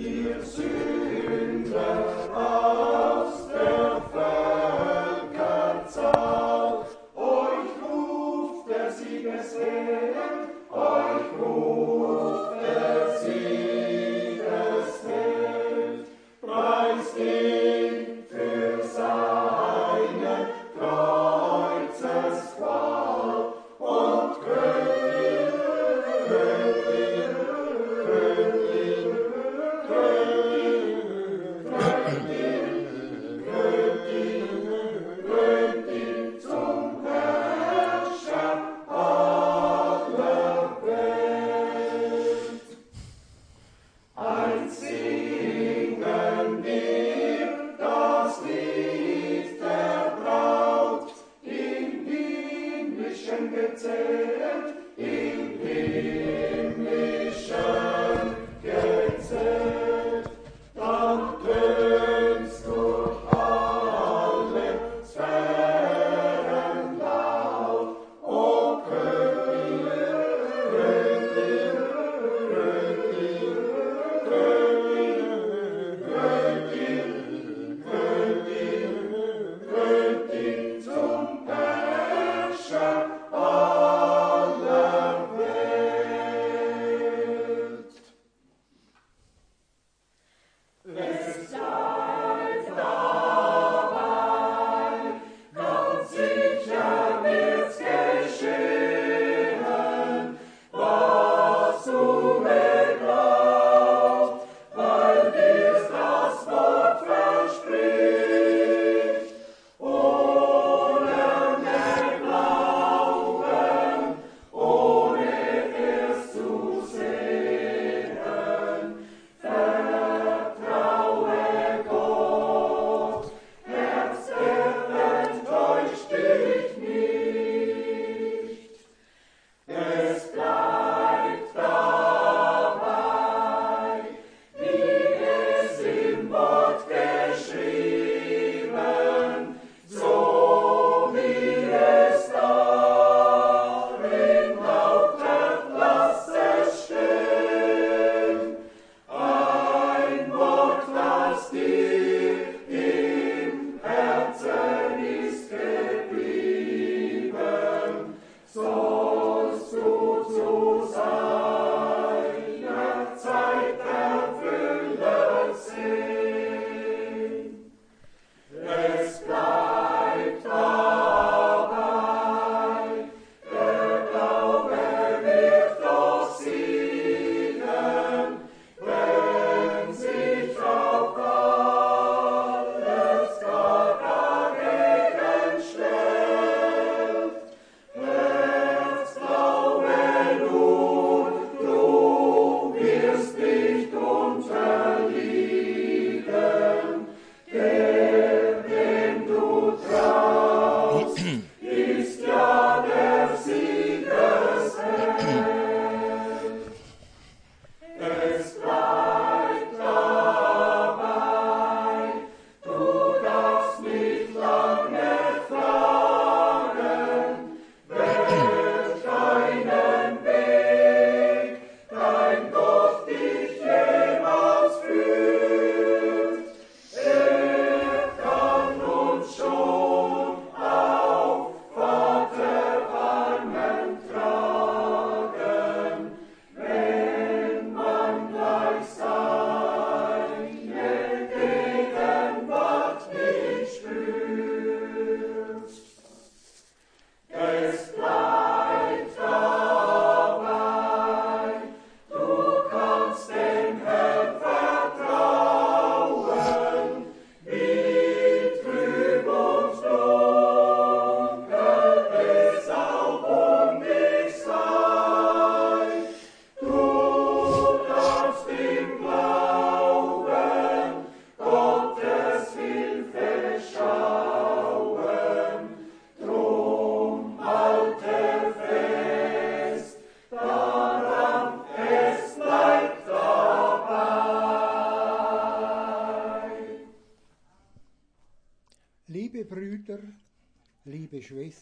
Ihr Sünder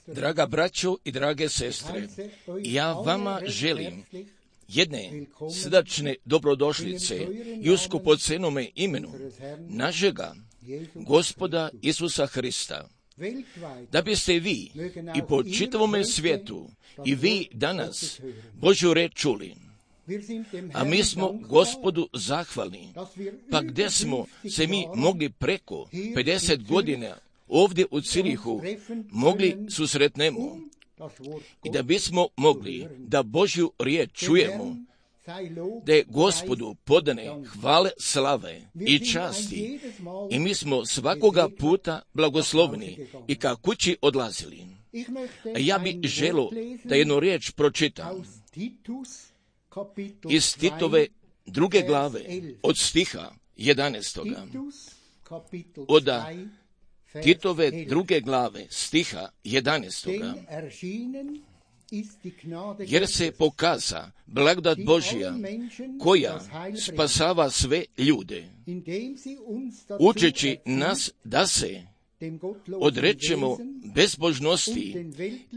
Draga braćo i drage sestre, ja vama želim jedne srdačne dobrodošlice i u skupocenome imenu našega Gospoda Isusa Hrista, da biste vi i po čitavome svijetu i vi danas Božju reč čuli. A mi smo Gospodu zahvalni, pa gdje smo se mi mogli preko 50 godina ovdje u Cirihu mogli susretnemo i da bismo mogli da Božju riječ čujemo, da je Gospodu podane hvale, slave i časti i mi smo svakoga puta blagoslovni i ka kući odlazili. A ja bi želio da jednu riječ pročitam iz Titove 2. glave od stiha 11. Od Titove 2. glave stiha 11. Jer se pokaza blagodat Božja koja spasava sve ljude, učeći nas da se odrečemo bezbožnosti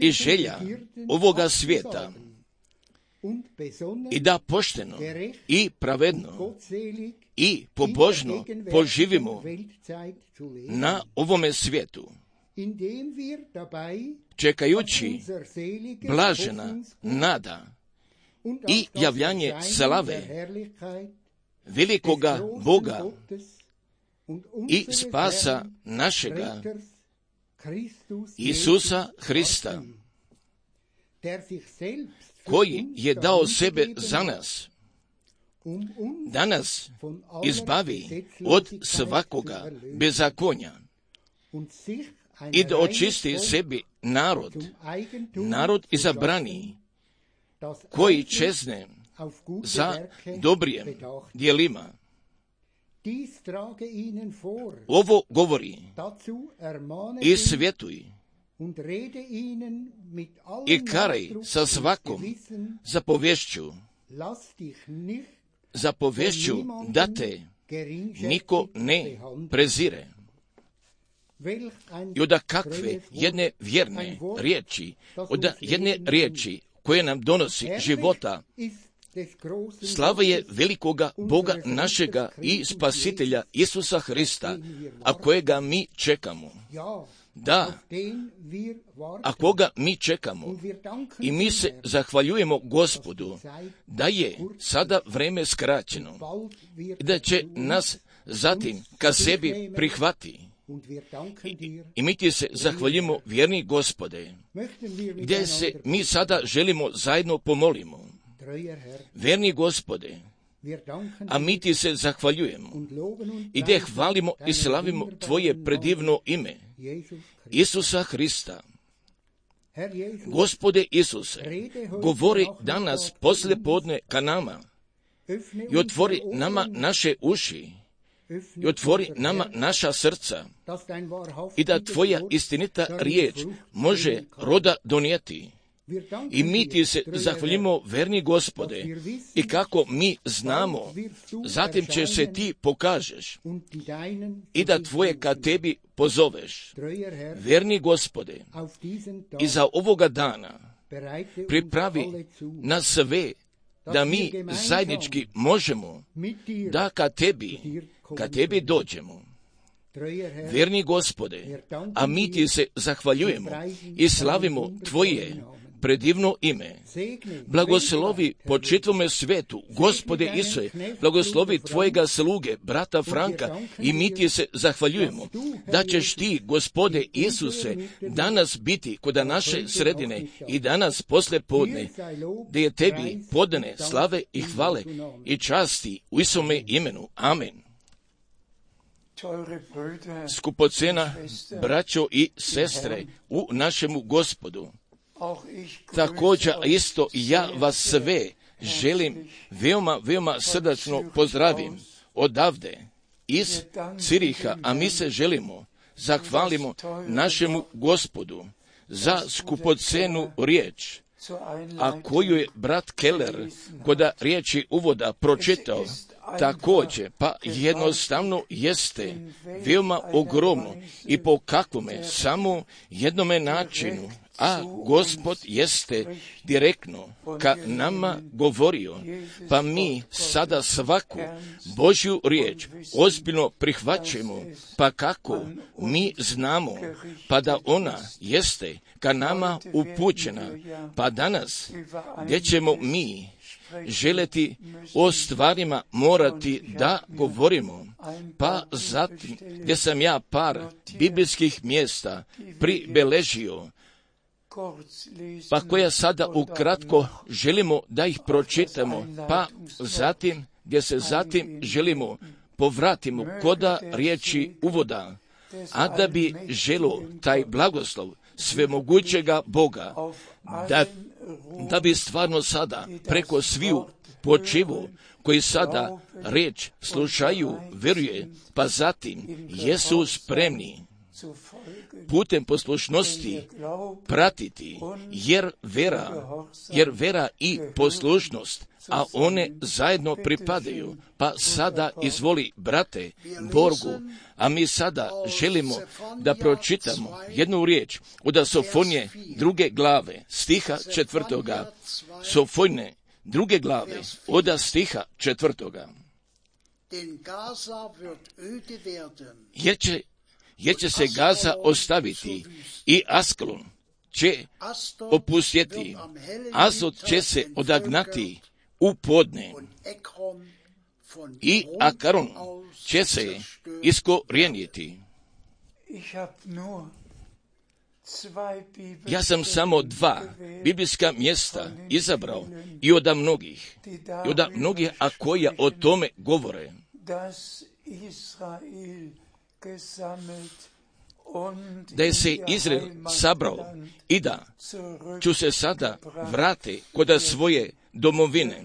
i želja ovoga svijeta i da pošteno i pravedno i pobožno poživimo na ovome svijetu, čekajući blažena nada i javljanje slave velikoga Boga i spasa našega Isusa Hrista, koji je dao sebe za nas, da nas izbavi od svakoga bezakonja i da očisti sebi narod izabrani, koji čezne za dobrijem dijelima. Ovo govori i svjetuj i karaj sa svakom zapovješću da te niko ne prezire. I od kakve jedne vjerne riječi, od jedne riječi koje nam donosi života. Slava je velikoga Boga našega i Spasitelja Isusa Hrista, a kojega mi čekamo. Da, a koga mi čekamo i mi se zahvaljujemo Gospodu da je sada vreme skraćeno i da će nas zatim ka sebi prihvati. I mi ti se zahvaljujemo, vjerni Gospode, gdje se mi sada želimo zajedno pomolimo. Vjerni Gospode, a mi ti se zahvaljujemo i gdje hvalimo i slavimo Tvoje predivno ime, Isusa Hrista. Gospode Isuse, govori danas poslije podne ka nama i otvori nama naše uši i otvori nama naša srca i da Tvoja istinita riječ može roda donijeti. I mi ti se zahvaljujemo, verni Gospode, i kako mi znamo, zatim će se ti pokažeš i da Tvoje ka tebi pozoveš. Verni Gospode, i za ovoga dana pripravi nas sve da mi zajednički možemo da ka tebi dođemo. Verni Gospode, a mi ti se zahvaljujemo i slavimo Tvoje predivno ime. Blagoslovi po čitavome svetu, Gospode Isuse, blagoslovi Tvojega sluge, brata Franka, i mi ti se zahvaljujemo da ćeš ti, Gospode Isuse, danas biti kod naše sredine i danas posle podne, da je tebi podane slave i hvale i časti u Isome imenu. Amen. Skupocena, braćo i sestre, u našemu Gospodu. Također isto ja vas sve želim veoma srdačno pozdravim odavde iz Ciriha, a mi se želimo zahvalimo našemu Gospodu za skupocenu riječ, a koju je brat Keller kod riječi uvoda pročitao, također, pa jednostavno jeste veoma ogromno i po kakvome samo jednome načinu, a Gospod jeste direktno ka nama govorio, pa mi sada svaku Božju riječ ozbiljno prihvaćamo, pa kako mi znamo, pa da ona jeste ka nama upućena, pa danas gdje ćemo mi želeti o stvarima morati da govorimo, pa zatim gdje sam ja par biblijskih mjesta pribeležio, pa koja sada ukratko želimo da ih pročitamo, pa zatim gdje se zatim želimo povratimo koda riječi uvoda, a da bi želo taj blagoslov svemogućega Boga, da bi stvarno sada preko sviju počivu koji sada riječ slušaju, vjeruje, pa zatim jesu spremni putem poslušnosti pratiti, jer vera i poslušnost, a one zajedno pripadaju. Pa sada izvoli, brate Borgu, a mi sada želimo da pročitamo jednu riječ od Sofonije 2. glave, stiha 4. Sofonije 2. glave, od stiha 4. Jer će se Gaza ostaviti i Askelon će opustjeti, Azot će se odagnati u podne i Akaron će se iskorijeniti. Ja sam samo 2 biblijska mjesta izabrao i od mnogih, a koja o tome govore. Da je se Izrael sabrao i da ću se sada vrati kod svoje domovine.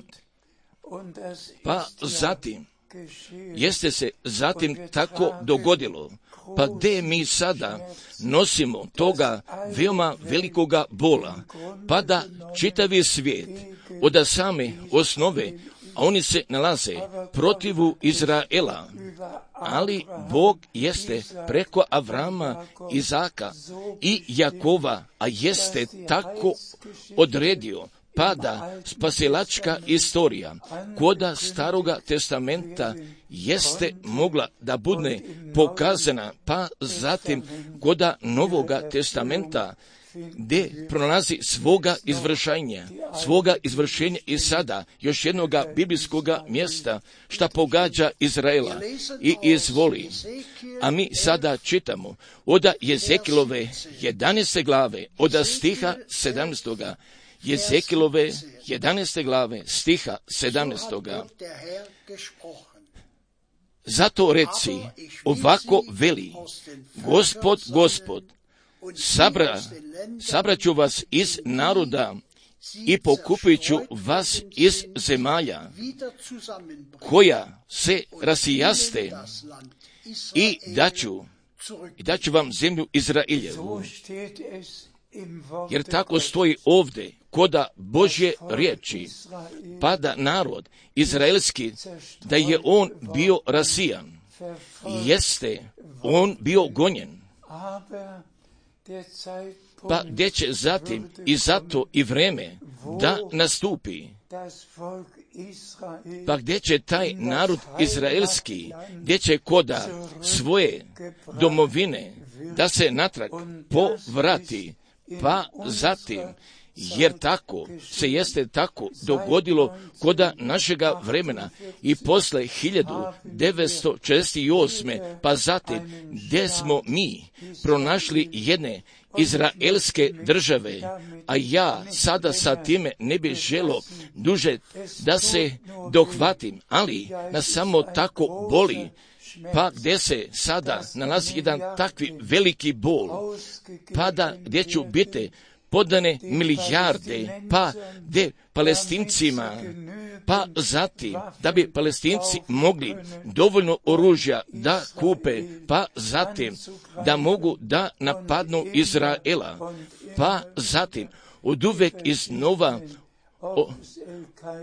Pa zatim, jeste se zatim tako dogodilo, pa gdje mi sada nosimo toga veoma velikoga bola, pa da čitavi svijet od same osnove, a oni se nalaze protivu Izraela, ali Bog jeste preko Avrama, Izaka i Jakova, a jeste tako odredio, pa da spasilačka istorija koda Staroga testamenta jeste mogla da bude pokazana, pa zatim koda Novoga testamenta gdje pronalazi svoga izvršenja i sada još jednoga biblijskoga mjesta šta pogađa Izraela i izvoli. A mi sada čitamo od Jezekilove 11. glave, od stiha 17. Jezekilove 11. glave, stiha 17. Zato reci, ovako veli, Gospod, sabraću vas iz naroda i pokupit ću vas iz zemalja koja se rasijaste i daću vam zemlju Izraeljevu. Jer tako stoji ovdje koda Božje riječi, pa da narod izraelski, da je on bio rasijan, jeste on bio gonjen, pa gdje će zatim i zato i vreme da nastupi, pa gdje će taj narod izraelski, gdje će koda svoje domovine da se natrag povrati, pa zatim, jer tako se jeste tako dogodilo koda našega vremena i posle 1948. pa zatim gdje smo mi pronašli jedne izraelske države, a ja sada sa time ne bih želo duže da se dohvatim, ali nas samo tako boli, pa gdje se sada nalazi jedan takvi veliki bol, pa da gdje ću biti podane milijarde, pa gdje Palestincima, pa zatim da bi Palestinci mogli dovoljno oružja da kupe, pa zatim da mogu da napadnu Izraela, pa zatim od uvek iznova,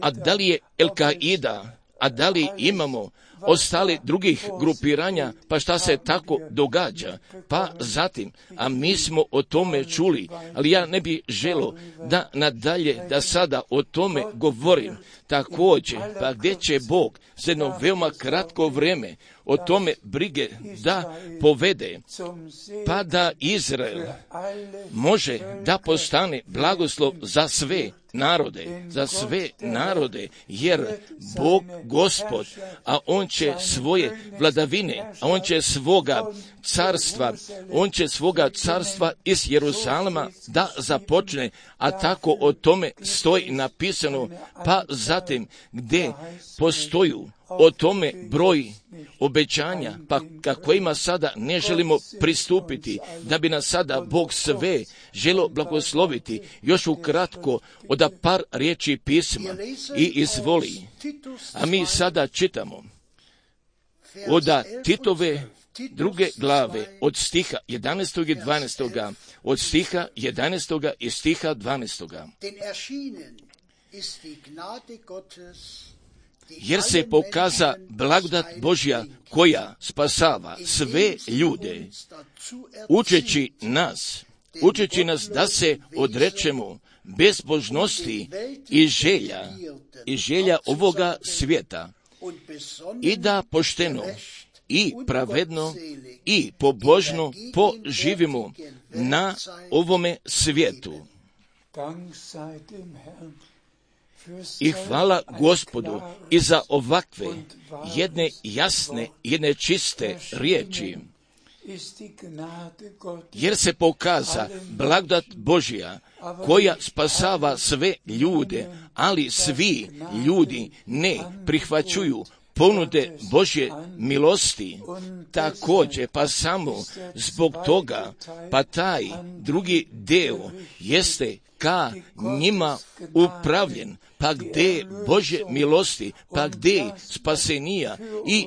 a da li je El-Kaida, A da li imamo ostali drugih grupiranja, pa šta se tako događa? Pa zatim, a mi smo o tome čuli, ali ja ne bih želio da nadalje, da sada o tome govorim. Također, pa gdje će Bog za jedno veoma kratko vrijeme o tome brige da povede, pa da Izrael može da postane blagoslov za sve narode, jer Bog Gospod, a On će svoje vladavine, a On će svoga carstva iz Jeruzalema da započne, a tako o tome stoji napisano, pa zatim gdje postoju o tome broj obećanja, pa kojima sada ne želimo pristupiti, da bi nas sada Bog sve želio blagosloviti. Još ukratko od par riječi pisma i izvoli. A mi sada čitamo od Titove 2. glave od stiha 11. i 12. od stiha 11. i stiha 12. Jer se pokaza blagodat Božja koja spasava sve ljude, učeći nas da se odrečemo bezbožnosti i želja ovoga svijeta i da pošteno i pravedno i pobožno poživimo na ovome svijetu. I hvala Gospodu i za ovakve jedne jasne, jedne čiste riječi. Jer se pokaza blagodat Božja koja spasava sve ljude, ali svi ljudi ne prihvaćuju ponude Božje milosti. Također, pa samo zbog toga, pa taj drugi deo jeste ka njima upravljen, pa gdje Božje milosti, pa gdje spasenija i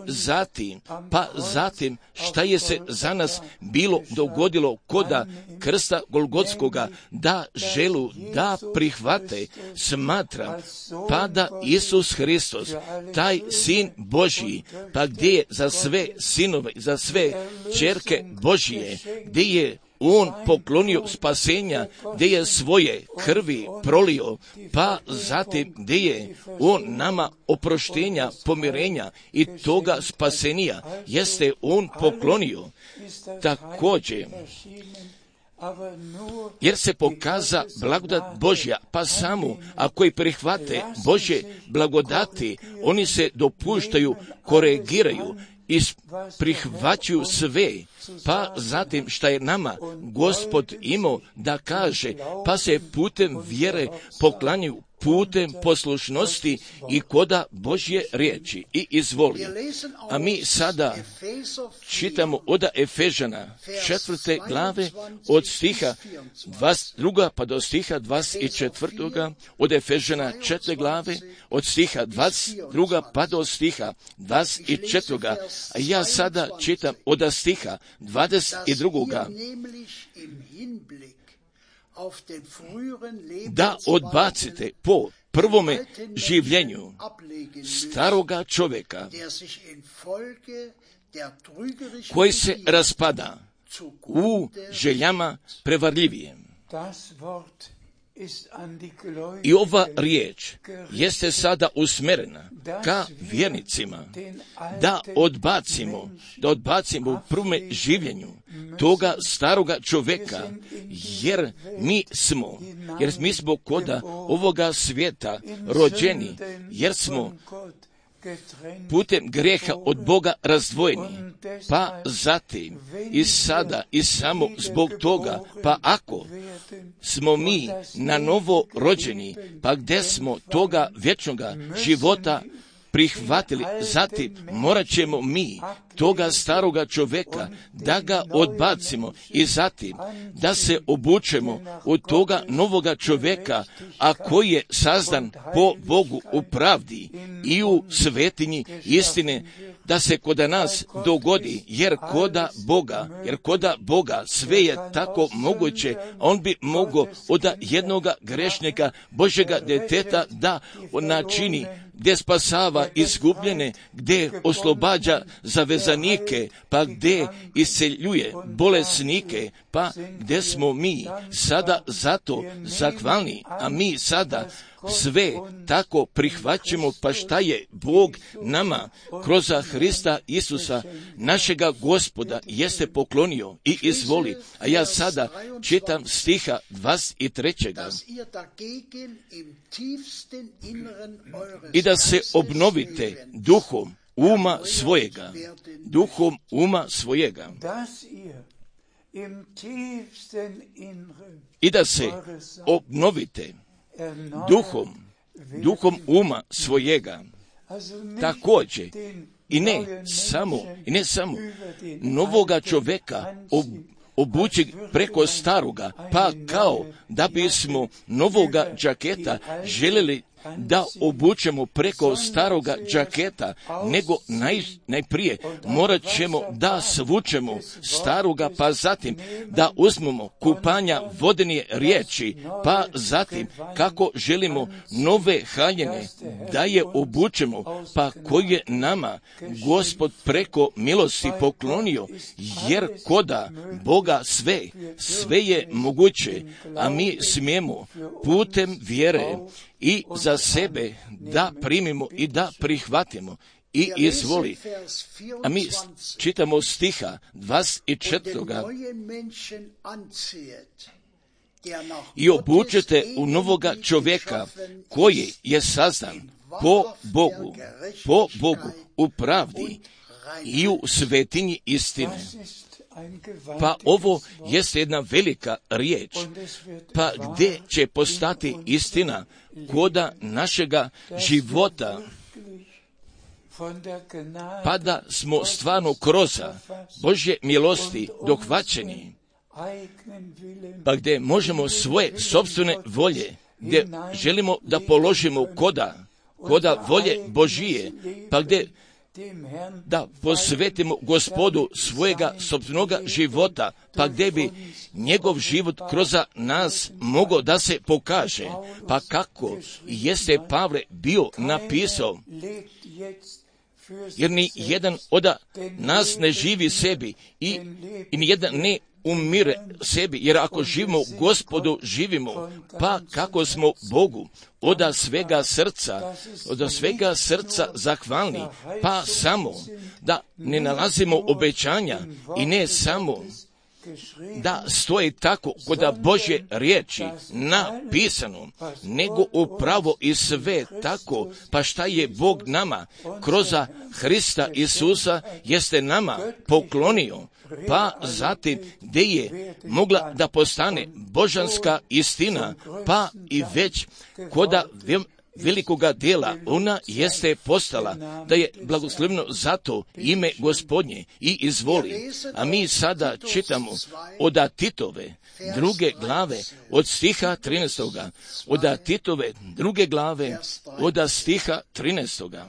zatim šta je se za nas bilo dogodilo koda krsta Golgotskoga, da želu da prihvate, smatra, pa da Isus Hristos, taj Sin Božji, pa gdje je za sve sinove, za sve ćerke Božje, gdje je On poklonio spasenja, gdje je svoje krvi prolio, pa zatim gdje je On nama oproštenja, pomirenja i toga spasenija, jeste On poklonio. Također, jer se pokaza blagodat Božja, pa samo ako i prihvate Božje blagodati, oni se dopuštaju, koregiraju i prihvaćaju sve, pa zatim šta je nama Gospod imao da kaže, pa se putem vjere poklanjaju, putem poslušnosti i koda Božje riječi i izvoli. A mi sada čitamo od Efežana 4. glave od stiha 22. pa do stiha 24. od Efežana 4. glave od stiha 22. pa do stiha 24. A ja sada čitam od stiha 22. Da odbacite po prvome življenju staroga čovjeka koji se raspada u željama prevarljivije. I ova riječ jeste sada usmjerena ka vjernicima, da odbacimo u prvome življenju toga staroga čovjeka, jer mi smo koda ovoga svijeta rođeni, jer smo putem grijeha od Boga razdvojeni, pa zatim i sada i samo zbog toga, pa ako smo mi na novo rođeni, pa gdje smo toga vječnoga života prihvatili, zatim morat ćemo mi toga staroga čovjeka da ga odbacimo i zatim da se obučemo od toga novoga čovjeka, a koji je sazdan po Bogu u pravdi i u svetinji istine, da se koda nas dogodi, jer koda Boga sve je tako moguće, on bi mogao od jednoga grešnika Božjega djeteta da načini gdje spasava izgubljene, gdje oslobađa zavezanike, pa gdje isceljuje bolesnike, pa gdje smo mi sada zato zahvalni, a mi sada sve tako prihvaćamo, pa šta je Bog nama kroz Hrista Isusa, našega Gospoda, jeste poklonio i izvoli. A ja sada čitam stiha 23. I da se obnovite duhom uma svojega, duhom uma svojega. I da se obnovite duhom uma svojega. Također, i ne samo novoga čovjeka obući preko staroga, pa kao da bismo novoga džaketa željeli da obučemo preko staroga džaketa, nego najprije morat ćemo da svučemo staroga, pa zatim da uzmemo kupanja vodene riječi, pa zatim kako želimo nove haljine da je obučemo, pa koje je nama Gospod preko milosti poklonio, jer koda Boga sve je moguće, a mi smijemo putem vjere i za sebe da primimo i da prihvatimo. I izvoli. A mi čitamo stiha 24. I obučete u novoga čovjeka koji je sazdan po Bogu u pravdi i u svetinji istine. Pa ovo jeste jedna velika riječ, pa gdje će postati istina koda našega života, pa da smo stvarno kroz Božje milosti dohvaćeni, pa gdje možemo svoje sopstvene volje, gdje želimo da položimo koda volje Božije, pa gdje da posvetimo Gospodu svojega sopstvenoga života, pa gdje bi njegov život kroz nas mogao da se pokaže. Pa kako jeste Pavle bio napisao, jer ni jedan od nas ne živi sebi i ni jedan ne umire sebi, jer ako živimo Gospodu, živimo, pa kako smo Bogu od svega srca zahvalni, pa samo da ne nalazimo obećanja i ne samo da stoji tako kod Božje riječi napisano, nego upravo i sve tako, pa šta je Bog nama kroz Hrista Isusa jeste nama poklonio, pa zatim gdje je mogla da postane božanska istina, pa i već koda velikoga dijela ona jeste postala, da je blagosloveno zato ime Gospodnje i izvoli. A mi sada čitamo od Titove 2. glave od stiha 13. Od Titove 2. glave od stiha 13.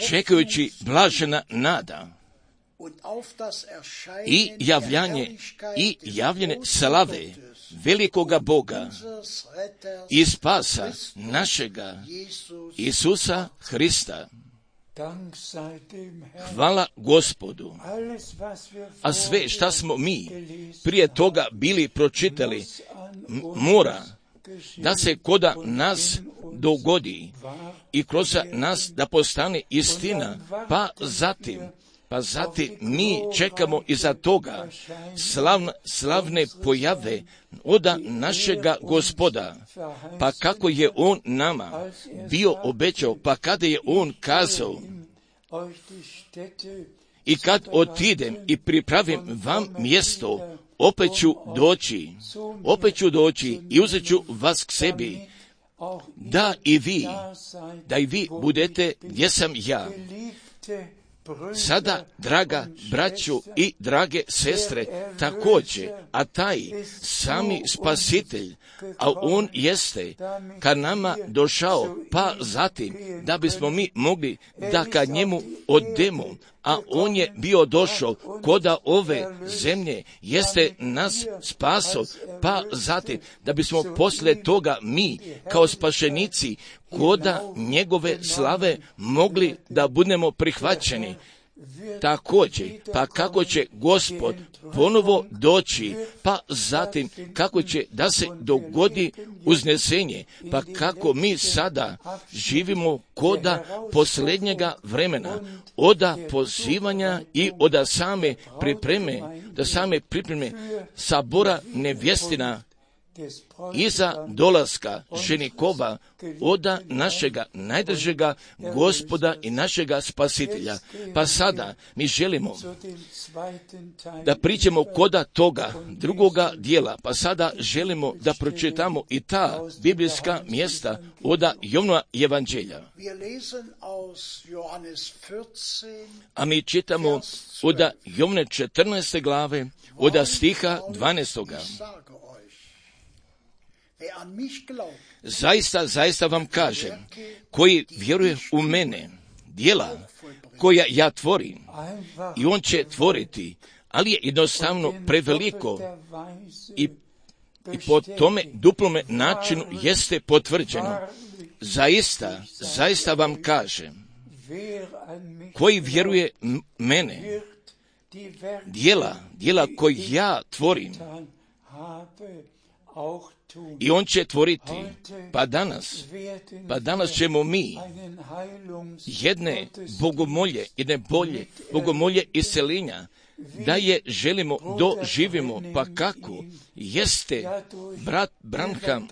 Čekajući blažena nada i javljene slave velikoga Boga i spasa našega Isusa Hrista. Hvala Gospodu. A sve šta smo mi prije toga bili pročitali mora da se koda nas dogodi i kroz nas da postane istina, pa zatim mi čekamo iza toga slavne pojave od našega Gospoda, pa kako je On nama bio obećao, pa kada je On kazao, i kad otidem i pripravim vam mjesto, opet ću doći i uzet ću vas k sebi, da i vi budete gdje sam ja. Sada, draga braću i drage sestre, također, a taj sami spasitelj, a on jeste ka nama došao, pa zatim da bismo mi mogli da ka njemu odemo, a on je bio došao koda ove zemlje, jeste nas spaso, pa zatim da bismo poslije toga mi kao spašenici koda njegove slave mogli da budemo prihvaćeni. Također, pa kako će Gospod ponovo doći, pa zatim kako će da se dogodi uznesenje, pa kako mi sada živimo koda posljednjega vremena, oda pozivanja i oda same pripreme sabora nevjestina iza dolaska ženikova oda našega najdražega Gospoda i našega Spasitelja. Pa sada mi želimo da pričamo koda toga drugoga dijela, pa sada želimo da pročitamo i ta biblijska mjesta oda Jovnova evanđelja. A mi čitamo oda Jovne 14. glave, oda stiha 12. Zaista vam kažem, koji vjeruje u mene, djela koja ja tvorim, i on će tvoriti, ali je jednostavno preveliko i po tome duplome načinu jeste potvrđeno. Zaista vam kažem, koji vjeruje mene, djela koje ja tvorim, i on će tvoriti. Pa danas ćemo mi jedne bogomolje isceljenja, da je želimo doživimo, pa kako jeste brat Branham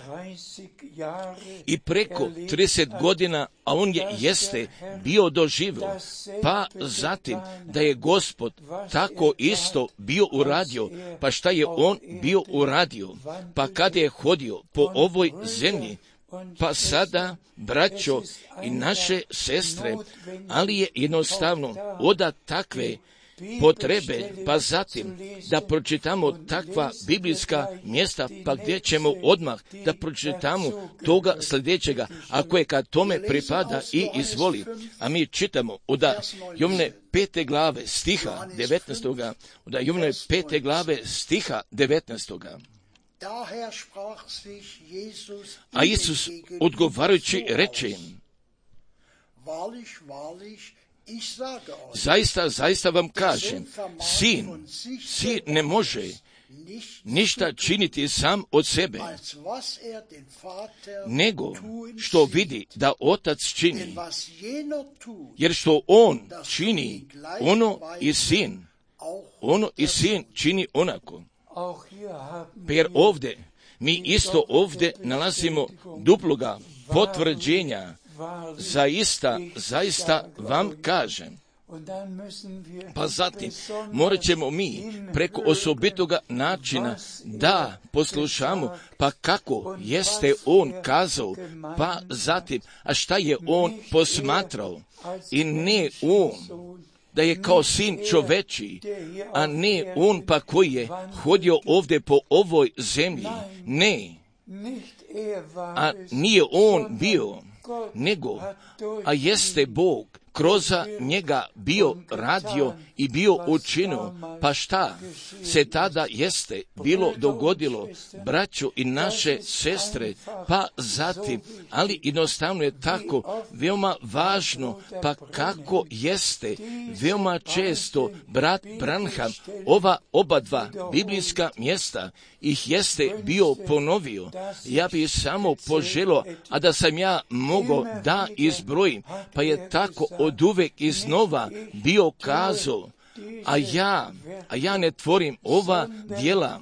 i preko 30 godina, a on jeste bio doživio, pa zatim da je Gospod tako isto bio uradio, pa šta je on bio uradio, pa kada je hodio po ovoj zemlji, pa sada, braćo i naše sestre, ali je jednostavno oda takve potrebe, pa zatim da pročitamo takva biblijska mjesta, pa gdje ćemo odmah da pročitamo toga sljedećega, ako je kad tome pripada i izvoli. A mi čitamo od Jovne 5. glave stiha 19. Od Jovne 5. glave stiha 19. A Isus odgovarajući reče im, zaista vam kažem, sin ne može ništa činiti sam od sebe, nego što vidi da otac čini, jer što on čini, ono i sin čini onako. Jer ovdje, mi isto ovdje nalazimo duploga potvrđenja. Zaista vam kažem. Pa zatim morat ćemo mi preko osobitoga načina da poslušamo, pa kako jeste on kazao, pa zatim, a šta je on posmatrao, i ne on da je kao sin čoveči, a ne on pa koji je hodio ovdje po ovoj zemlji, ne, a nije on bio, nego, a jeste Bog kroz njega bio radio i bio učinio, pa šta se tada jeste bilo dogodilo, braćo i naše sestre, pa zatim, ali jednostavno je tako veoma važno, pa kako jeste veoma često brat Branham ova oba dva biblijska mjesta ih jeste bio ponovio. Ja bih samo poželio, a da sam ja mogao da izbrojim, pa je tako od uvek iznova bio kazao, a ja ne tvorim ova djela,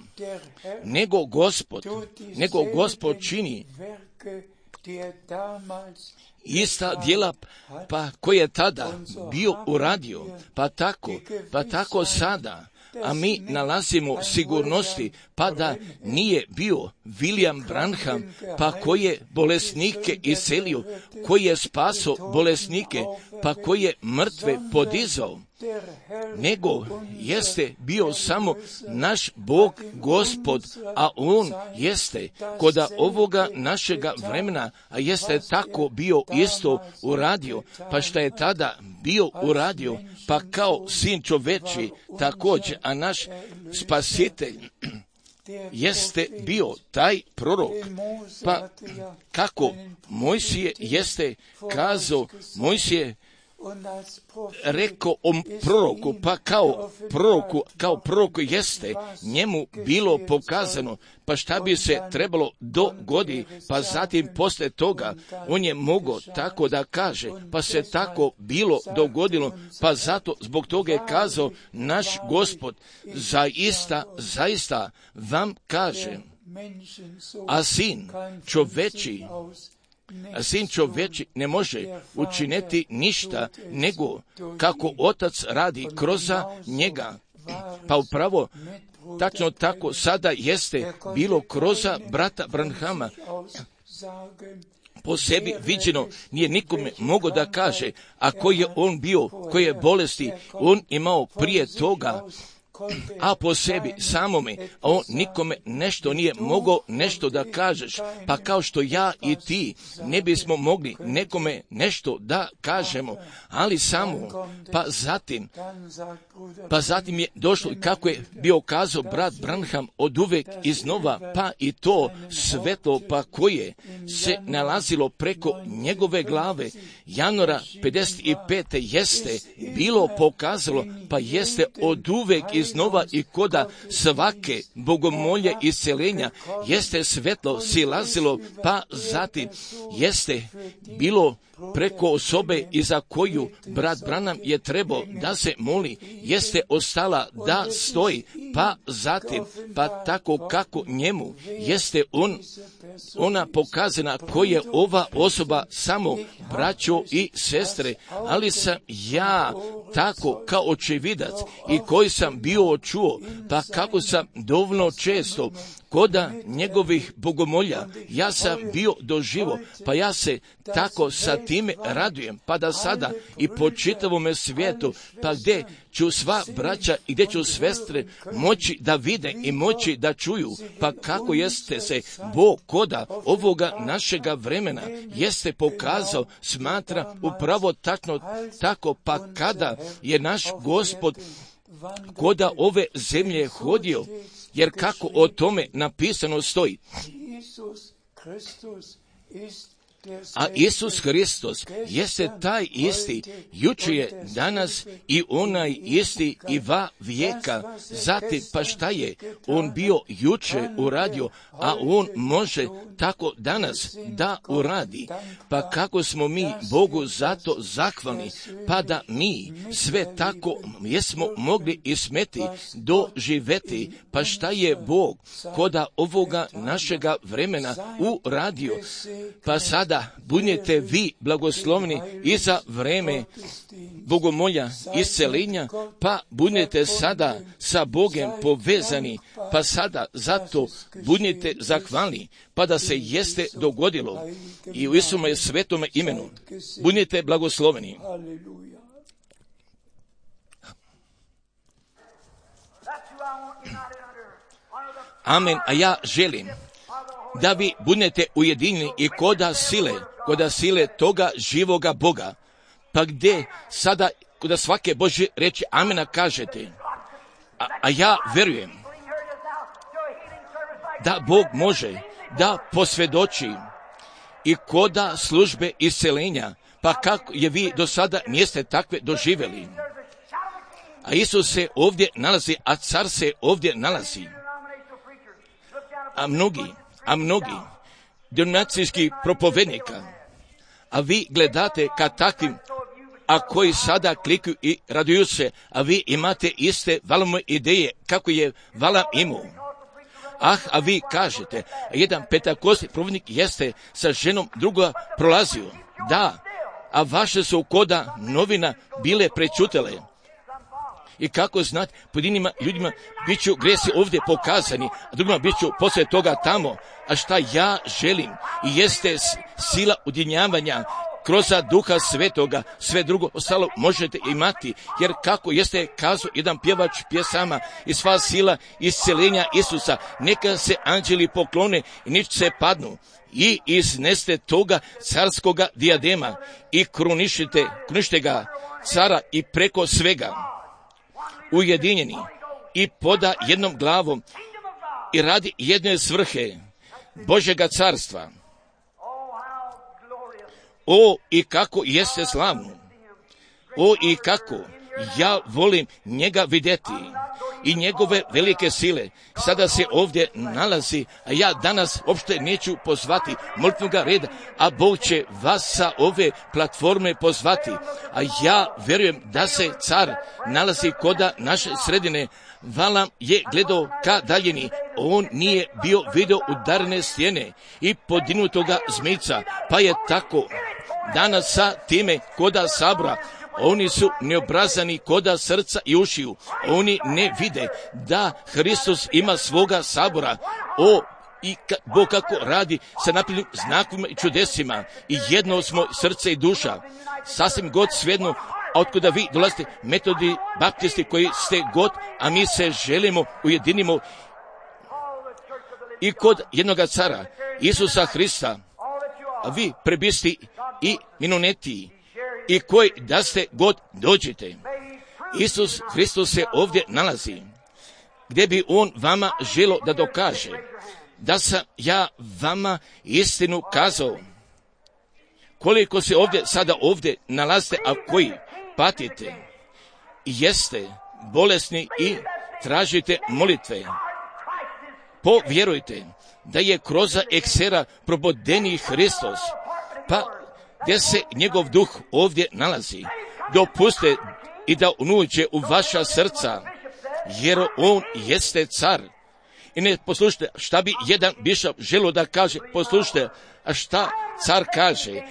nego Gospod čini ista djela, pa koje je tada bio uradio, pa tako sada. A mi nalazimo sigurnosti, pa da nije bio William Branham, pa koji je bolesnike iscelio, koji je spaso bolesnike, pa koji je mrtve podizao, nego jeste bio samo naš Bog Gospod, a on jeste koda ovoga našega vremena, a jeste tako bio isto uradio, pa šta je tada bio uradio, pa kao sin čoveči također, a naš spasitelj jeste bio taj prorok. Pa kako Mojsije jeste kazao, Mojsije rekao o proroku, pa kao proroku jeste njemu bilo pokazano, pa šta bi se trebalo dogodi, pa zatim poslije toga on je mogao tako da kaže, pa se tako bilo dogodilo, pa zato zbog toga je kazao naš Gospod, zaista vam kažem, a sin čoveči ne može učiniti ništa nego kako otac radi kroz njega. Pa upravo tačno tako sada jeste bilo kroz brata Branhama. Po sebi viđeno nije nikome mogao da kaže, a koji je on bio, koje je bolesti on imao prije toga, a po sebi samome, a on nikome nešto nije mogao nešto da kažeš, pa kao što ja i ti ne bismo mogli nekome nešto da kažemo, ali samo, pa zatim je došlo, kako je bio kazao brat Branham, od uvek iznova, pa i to svetlo, pa koje se nalazilo preko njegove glave, januara 55. jeste bilo pokazalo, pa jeste od uvek iznova i koda svake bogomolje isceljenja jeste svetlo silazilo, pa zatim jeste bilo preko osobe i za koju brat Branham je trebao da se moli, jeste ostala da stoji, pa zatim, pa tako kako njemu jeste ona pokazana koja je ova osoba samo braćo i sestre, ali sam ja tako kao očevidac i koji sam bio čuo, pa kako sam dovoljno često koda njegovih bogomolja, ja sam bio doživo, pa ja se tako sa time radujem, pa da sada i po čitavome svijetu, pa gdje ću sva braća i gdje ću sestre moći da vide i moći da čuju, pa kako jeste se Bog koda ovoga našega vremena jeste pokazao, smatra upravo tako, pa kada je naš Gospod koda ove zemlje hodio, jer kako o tome napisano stoji. A Isus Hristos jeste taj isti, jučer je, danas i onaj isti i va vijeka. Zatim, pa šta je on bio jučer uradio, a on može tako danas da uradi. Pa kako smo mi Bogu zato zahvalni, pa da mi sve tako jesmo mogli i smeti doživeti. Pa šta je Bog koda ovoga našega vremena uradio, pa sada budete vi blagoslovni i za vreme bogomolja isceljenja, pa budete sada sa Bogom povezani, pa sada zato budete zahvalni, pa da se jeste dogodilo i u Isume svetome imenu budete blagosloveni. Amen. A ja želim da vi budete ujedinjeni i koda sile toga živoga Boga, pa gdje sada koda svake Božje reči amena kažete, a ja verujem da Bog može da posvjedoči i koda službe isceljenja, pa kako je vi do sada niste takve doživjeli. A Isus se ovdje nalazi, a car se ovdje nalazi. A mnogi denominacijskih propovednika, a vi gledate ka takvim, a koji sada klikuju i raduju se, a vi imate iste valome ideje kako je Valam imao. A vi kažete, jedan pentakostni propovednik jeste sa ženom druga prolazio. Da, a vaše su koda novina bile prečutele. I kako znati, pojedinima ljudima bit ću gresi ovdje pokazani, a drugima bit ću poslije toga tamo. A šta ja želim i jeste sila udjenjavanja kroz Duha Svetoga, sve drugo ostalo možete imati, jer kako jeste kazao jedan pjevač pjesama i sva sila isceljenja Isusa, neka se anđeli poklone i nič se padnu i izneste toga carskoga dijadema i krunište ga cara i preko svega, ujedinjeni i poda jednom glavom i radi jedne svrhe Božjega carstva. O, i kako jeste slavno! O, i kako ja volim njega vidjeti i njegove velike sile. Sada se ovdje nalazi, a ja danas uopšte neću pozvati molitvenoga reda, a Bog će vas sa ove platforme pozvati. A ja vjerujem da se car nalazi koda naše sredine. Valam je gledao ka daljini, on nije bio vidio udarene stijene i podinutoga zmijca, pa je tako danas sa time koda sabora. Oni su neobrazani koda srca i ušiju. Oni ne vide da Hristos ima svoga sabora. O, i Bog kako radi sa naprednim znakovima i čudesima. I jedno smo srce i duša. Sasvim god svejedno, a otkuda vi dolazite, metodi, baptisti koji ste god, a mi se želimo, ujedinimo i kod jednoga cara, Isusa Hrista, a vi prebisti i minonetiji, i koji da ste god dođete. Isus Hristos se ovdje nalazi, gdje bi on vama želo da dokaže da sam ja vama istinu kazao. Koliko se sada ovdje nalazite, a koji patite i jeste bolesni i tražite molitve, povjerujte da je kroz eksera probodeni Hristos, pa gdje se njegov duh ovdje nalazi, dopuste i da unuđe u vaša srca, jer on jeste car. I ne poslušajte šta bi jedan bišap želio da kaže, poslušajte, a šta car kaže,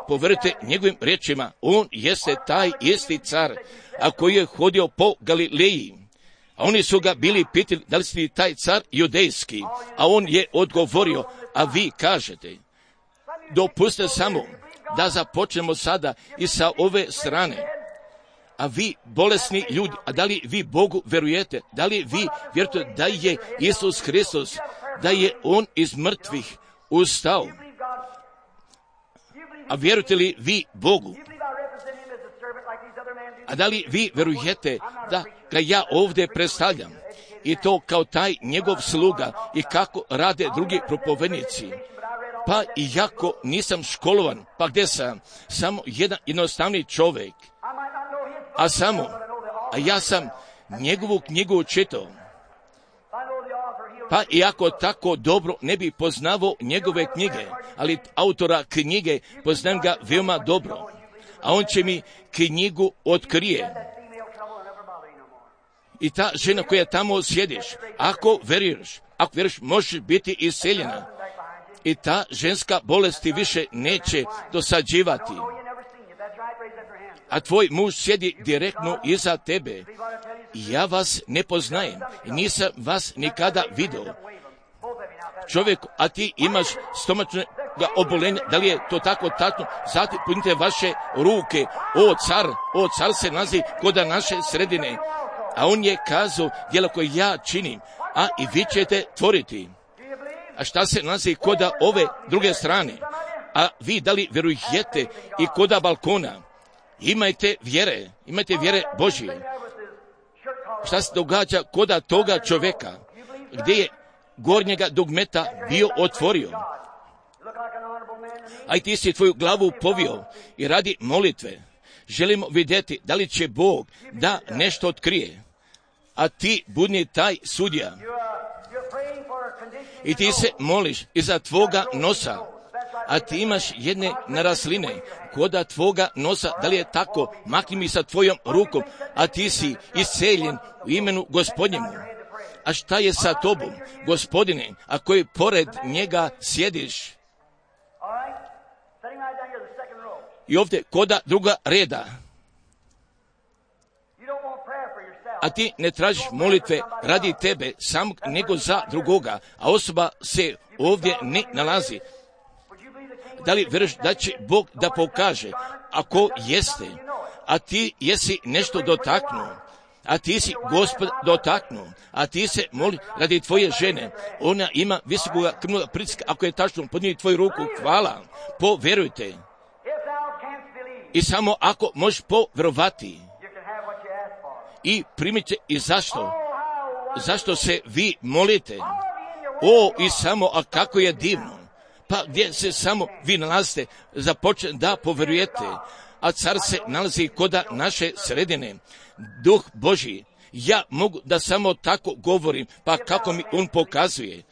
povjerujte njegovim riječima, on jeste taj isti car, a koji je hodio po Galileji. A oni su ga bili pitali da li si taj car judejski, a on je odgovorio, a vi kažete. Dopustite samo da započnemo sada i sa ove strane. A vi, bolesni ljudi, a da li vi Bogu verujete? Da li vi vjerujete da je Isus Hristos, da je on iz mrtvih ustao? A vjerujete li vi Bogu? A da li vi verujete da ga ja ovdje predstavljam? I to kao taj njegov sluga i kako rade drugi propovednici. Pa iako nisam školovan, pa gdje sam? Samo jedan jednostavni čovjek. A ja sam njegovu knjigu čitao. Pa iako tako dobro ne bi poznavao njegove knjige, ali autora knjige poznam ga veoma dobro. A on će mi knjigu otkrije. I ta žena koja tamo sjediš, ako veruješ, možeš biti isceljena. I ta ženska bolest ti više neće dosađivati. A tvoj muž sjedi direktno iza tebe. Ja vas ne poznajem i nisam vas nikada vidio. Čovjek, a ti imaš stomačnog obolenja, da li je to tako tačno? Zatim punite vaše ruke. O car se nalazi kod naše sredine. A on je kazao djelo koje ja činim, a i vi ćete tvoriti. A šta se nalazi koda ove druge strane? A vi da li verujete i koda balkona? Imajte vjere Božje. Šta se događa koda toga čovjeka, gdje je gornjega dugmeta bio otvorio? A ti si tvoju glavu povio i radi molitve. Želimo vidjeti da li će Bog da nešto otkrije. A ti budni taj sudija. I ti se moliš iza tvoga nosa, a ti imaš jedne narasline koda tvoga nosa, da li je tako? Makni mi sa tvojom rukom, a ti si isceljen u imenu Gospodnjemu. A šta je sa tobom, Gospodine, a koji pored njega sjediš? I ovdje koda druga reda. A ti ne tražiš molitve radi tebe samog, nego za drugoga, a osoba se ovdje ne nalazi. Da li vjeruješ da će Bog da pokaže? Ako jeste, a ti jesi nešto dotaknuo, a ti si Gospod dotaknuo, a ti se moli radi tvoje žene, ona ima visokog krvnog pritiska, ako je tačno, podnijeti tvoju ruku, hvala, povjerujte. I samo ako možeš povjerovati i primite. I zašto? Zašto se vi molite? O, i samo, a kako je divno. Pa gdje se samo vi nalazite, započne da povjerujete, a car se nalazi koda naše sredine, Duh Božji. Ja mogu da samo tako govorim, pa kako mi on pokazuje.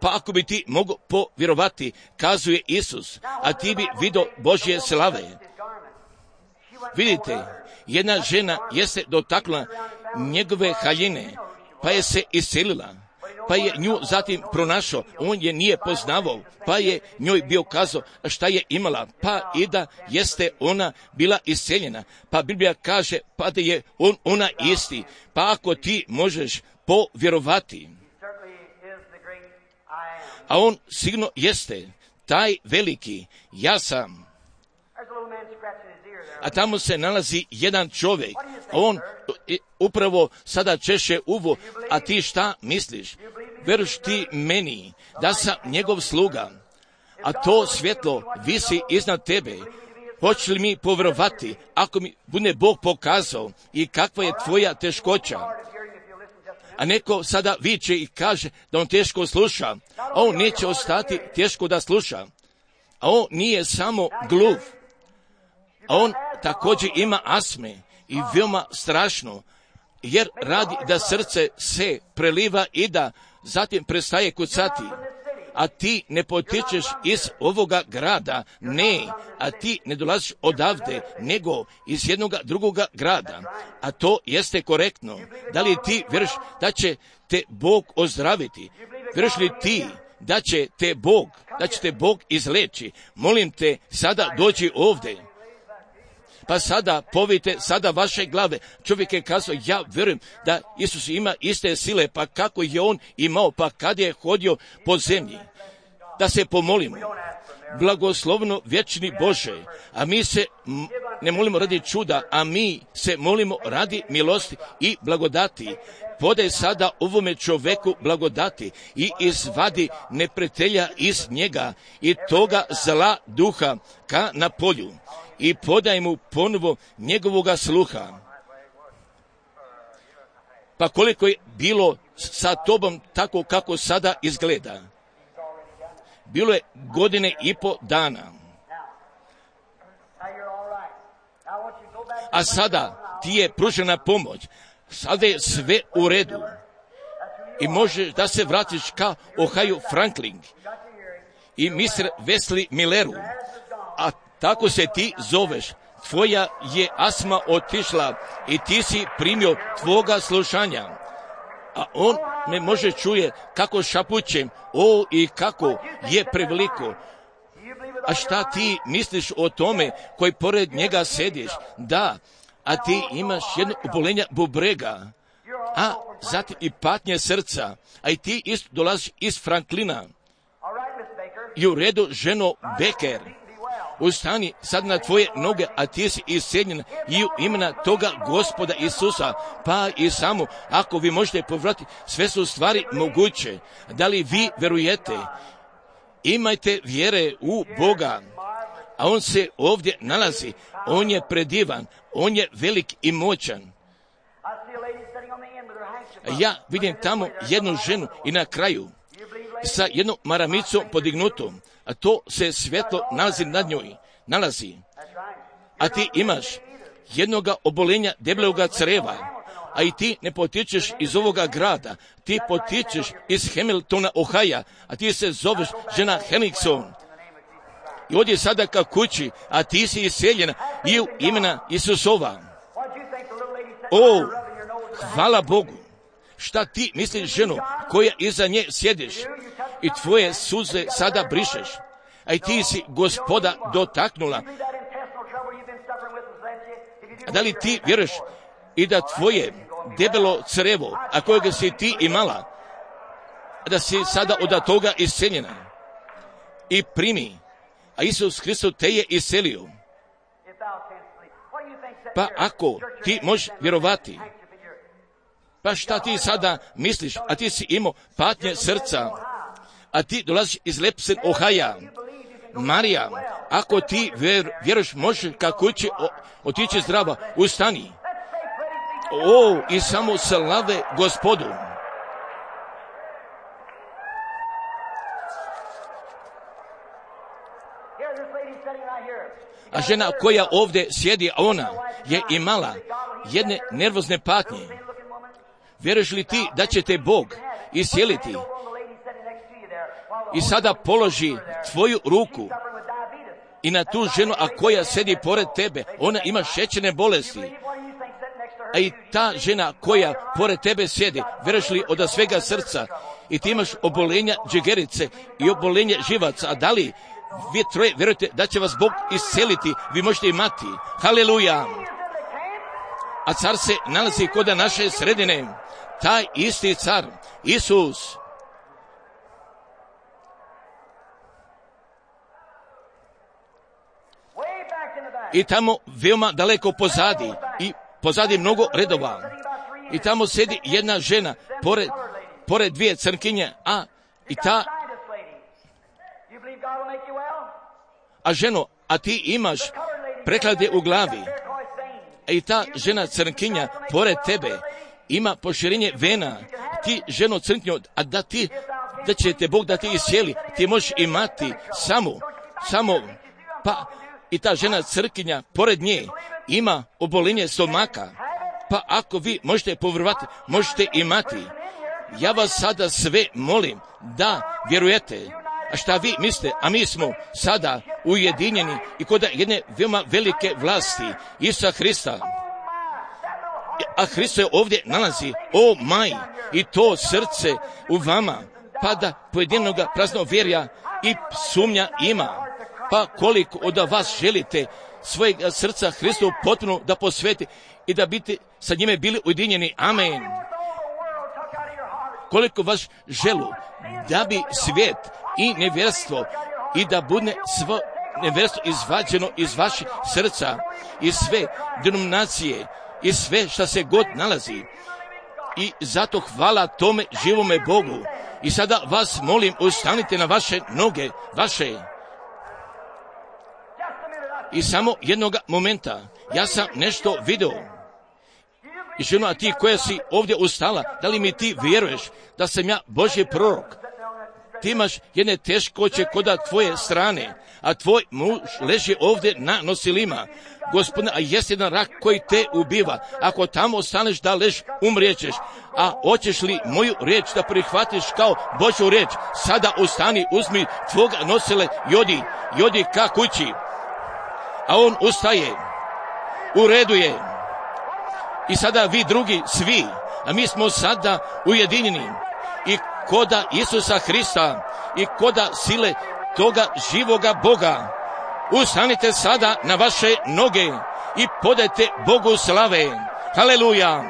Pa ako bi ti mogo povjerovati, kazuje Isus, a ti bi vidio Božje slave. Vidite, jedna žena jeste dotakla njegove haljine, pa je se iselila, pa je nju zatim pronašao, on je nije poznavao, pa je njoj bio kazao šta je imala, pa i da jeste ona bila iseljena, pa Biblija kaže pa da je ona isti, pa ako ti možeš povjerovati, a on sigurno jeste taj veliki, ja sam. A tamo se nalazi jedan čovjek, on upravo sada češe uvo, a ti šta misliš? Veruš ti meni da sam njegov sluga, a to svjetlo visi iznad tebe. Hoće li mi povjerovati ako mi bude Bog pokazao i kakva je tvoja teškoća? A neko sada viče i kaže da on teško sluša, a on neće ostati teško da sluša. A on nije samo gluv, a on također ima astme i veoma strašno, jer radi da srce se preliva i da zatim prestaje kucati. A ti ne potičeš iz ovoga grada, ne, a ti ne dolaziš odavde, nego iz jednog drugoga grada. A to jeste korektno. Da li ti vjeruješ da će te Bog ozdraviti? Vjeruješ li ti da će te Bog izleči? Molim te, sada dođi ovdje. Pa sada povijte sada vaše glave. Čovjek je kazao, ja vjerujem da Isus ima iste sile, pa kako je on imao, pa kad je hodio po zemlji. Da se pomolimo. Blagoslovno vječni Bože, a mi se ne molimo radi čuda, a mi se molimo radi milosti i blagodati. Podaj sada ovome čovjeku blagodati i izvadi neprijatelja iz njega i toga zla duha ka na polju. I podaj mu ponovo njegovoga sluha. Pa koliko je bilo sa tobom tako kako sada izgleda? Bilo je 1,5 godine. A sada ti je pružena pomoć. Sada je sve u redu. I možeš da se vratiš ka Ohio Franklin i Mr. Wesley Milleru. A tako se ti zoveš. Tvoja je astma otišla i ti si primio tvoga slušanja. A on me može čuje kako šapućem, o i kako je preveliko. A šta ti misliš o tome koji pored njega sediš? Da, a ti imaš jedno obolenje bubrega, a zatim i patnje srca, a i ti isto dolaziš iz Franklina. I u redu, ženo Becker, ustani sad na tvoje noge, a ti si iseljen i u imena toga Gospoda Isusa, pa i samo, ako vi možete povratiti, sve su stvari moguće. Da li vi verujete? Imajte vjere u Boga, a on se ovdje nalazi, on je predivan, on je velik i moćan. Ja vidim tamo jednu ženu i na kraju sa jednom maramicom podignutom, a to se svjetlo nalazi nad njoj, a ti imaš jednoga obolenja debeloga creva, a i ti ne potičeš iz ovoga grada, ti potičeš iz Hamiltona, Ohaja, a ti se zoveš žena Henningson. I ovdje sada ka kući, a ti si iseljena i u imena Isusova. O, hvala Bogu. Šta ti misliš, ženo, koja iza nje sjediš i tvoje suze sada brišeš, a i ti si Gospoda dotaknula. A da li ti vjeruješ i da tvoje debelo crevo, a kojega si ti imala, da si sada od toga iseljena i primi, a Isus Hristos te je iselio. Pa ako ti možeš vjerovati, pa šta ti sada misliš, a ti si imao patnje srca, a ti dolaziš iz Lepsen, Ohaja, Marija, ako ti vjeruješ, možeš ka kući otići zdrava, ustani. I samo slave Gospodu. A žena koja ovdje sjedi, ona je imala jedne nervozne patnje. Vjeruješ li ti da će te Bog iscijeliti? I sada položi tvoju ruku i na tu ženu, a koja sedi pored tebe, ona ima šećerne bolesti. A i ta žena koja pored tebe sjedi, vjeruješ li od svega srca, i ti imaš obolenja džegerice i obolenje živaca, a da li vi troje vjerujete da će vas Bog isceliti, vi možete imati. Haleluja! A car se nalazi kod naše sredine, taj isti car, Isus. I tamo veoma daleko pozadi, i pozadi mnogo redova. I tamo sedi jedna žena pored dvije crnkinje, a ženo, a ti imaš preklade u glavi. I ta žena crnkinja pored tebe ima poširenje vena. Ti ženo crnkinjo, a da će te Bog da ti iscijeli, ti možeš imati samo, pa i ta žena crnkinja pored nje ima obolenje stomaka. Pa ako vi možete povjerovati, možete imati. Ja vas sada sve molim da vjerujete. A šta vi mislite? A mi smo sada ujedinjeni i kod jedne veoma velike vlasti Isusa Hrista. A Hristo je ovdje nalazi, i to srce u vama, pa da pojedinoga praznovjerja i sumnja ima. Pa koliko od vas želite svojeg srca Hristu potpuno da posveti i da biti sa njime bili ujedinjeni. Amen. Koliko vas želu da bi svijet i nevjerstvo i da bude svo nevjerstvo izvađeno iz vaših srca i sve denominacije i sve što se god nalazi. I zato hvala tome živome Bogu. I sada vas molim, ustanite na vaše noge, vaše. I samo jednog momenta, ja sam nešto vidio. I ženo, a ti koja si ovdje ustala, da li mi ti vjeruješ da sam ja Božji prorok? Ti imaš jedne teškoće kod tvoje strane, a tvoj muž leži ovdje na nosilima. Gospodine, a jest jedan rak koji te ubiva. Ako tamo ostaneš da lež, umrijećeš. A hoćeš li moju riječ da prihvatiš kao Božju riječ? Sada ustani, uzmi tvoga nosile i odi ka kući. A on ustaje, u redu je. I sada vi drugi, svi, a mi smo sada ujedinjeni. I koda Isusa Hrista i koda sile toga živoga Boga. Ustanite sada na vaše noge i podajte Bogu slave. Haleluja!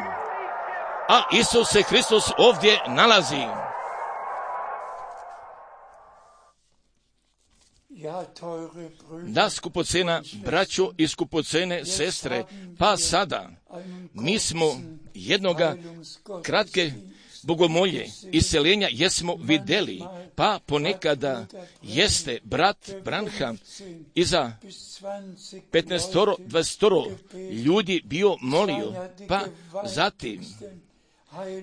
A Isus se Hristos ovdje nalazi. Da, skupocena braćo i skupocene sestre, pa sada mi smo jednoga kratke bogomolje, isceljenja jesmo vidjeli, pa ponekada jeste brat Branham iza 15-20 ljudi bio molio, pa zatim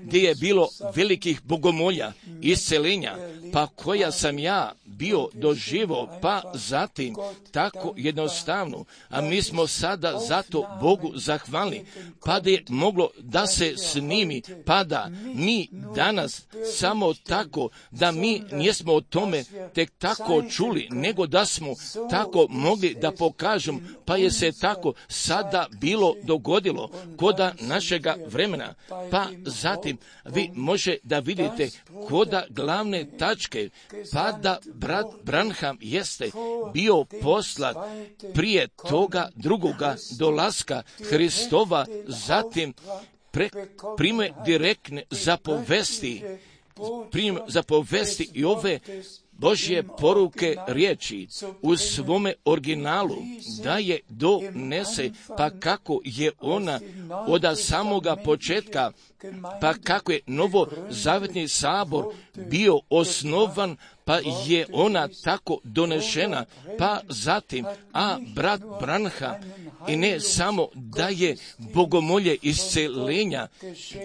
gdje je bilo velikih bogomolja, isceljenja, pa koja sam ja bio doživo, pa zatim tako jednostavno, a mi smo sada zato Bogu zahvalni, pa da je moglo da se snimi, pa da mi danas samo tako, da mi nismo o tome tek tako čuli, nego da smo tako mogli da pokažemo, pa je se tako sada bilo dogodilo koda našega vremena, pa zatim vi može da vidite koda glavne tačke, pa da brat Branham jeste bio poslat prije toga drugoga dolaska Hristova, zatim prime direktne zapovesti i ove Božje poruke riječi u svome originalu da je donese, pa kako je ona od samoga početka, pa kako je novozavetni sabor bio osnovan, pa je ona tako donešena, pa zatim, a brat Branham i ne samo da je bogomolje iscelenja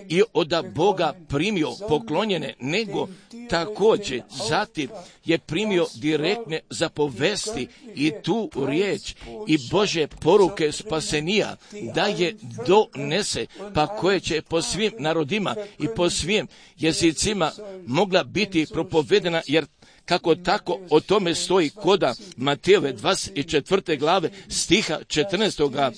i od Boga primio poklonjene, nego također zatim je primio direktne zapovesti i tu riječ i Bože poruke spasenija da je donese, pa koje će po svim narodima i po svim jezicima mogla biti propovedena, jer kako tako o tome stoji koda Matejove 24. glave stiha 14.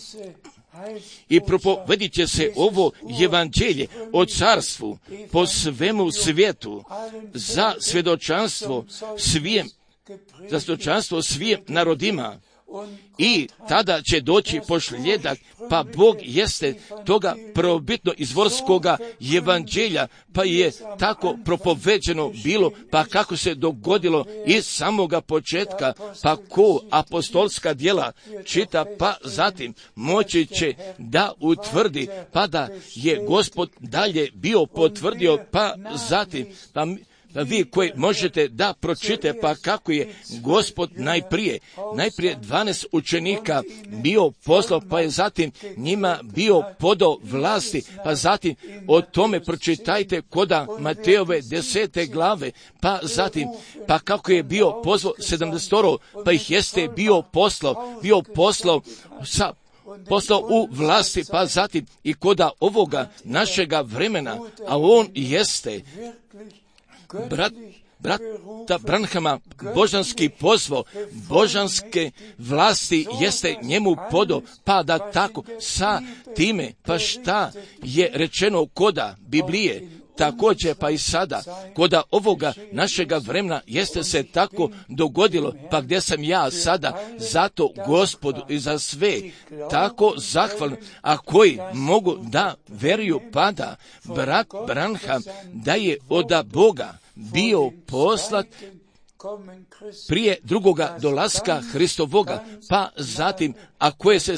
I propovedit će se ovo evanđelje o carstvu po svemu svijetu za svjedočanstvo svim narodima. I tada će doći pošljedak, pa Bog jeste toga prvobitno izvorskoga evanđelja, pa je tako propoveđeno bilo, pa kako se dogodilo iz samoga početka, pa ko apostolska djela čita, pa zatim moći će da utvrdi, pa da je Gospod dalje bio potvrdio, pa zatim, pa vi koji možete da pročite, pa kako je Gospod najprije 12 učenika bio poslao, pa je zatim njima bio podao vlasti, pa zatim o tome pročitajte koda Matejove 10. glave, pa zatim, pa kako je bio pozvao 70, pa ih jeste bio poslao u vlasti, pa zatim i koda ovoga našega vremena, a on jeste brata Branhama božanski pozvao, božanske vlasti jeste njemu podao, pa da tako sa time, pa šta je rečeno koda Biblije, također pa i sada, koda ovoga našega vremena jeste se tako dogodilo, pa gdje sam ja sada, zato Gospodu i za sve tako zahvalan, a koji mogu da veruju, pa da brat Branham da je od Boga bio poslat prije drugoga dolaska Hristovoga, pa zatim, a koje se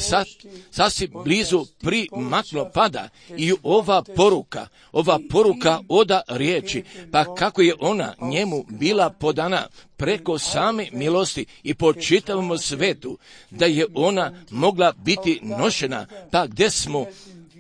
sasvim blizu primaklo, pada i ova poruka oda riječi, pa kako je ona njemu bila podana preko same milosti i po čitavom svetu, da je ona mogla biti nošena, pa gdje smo,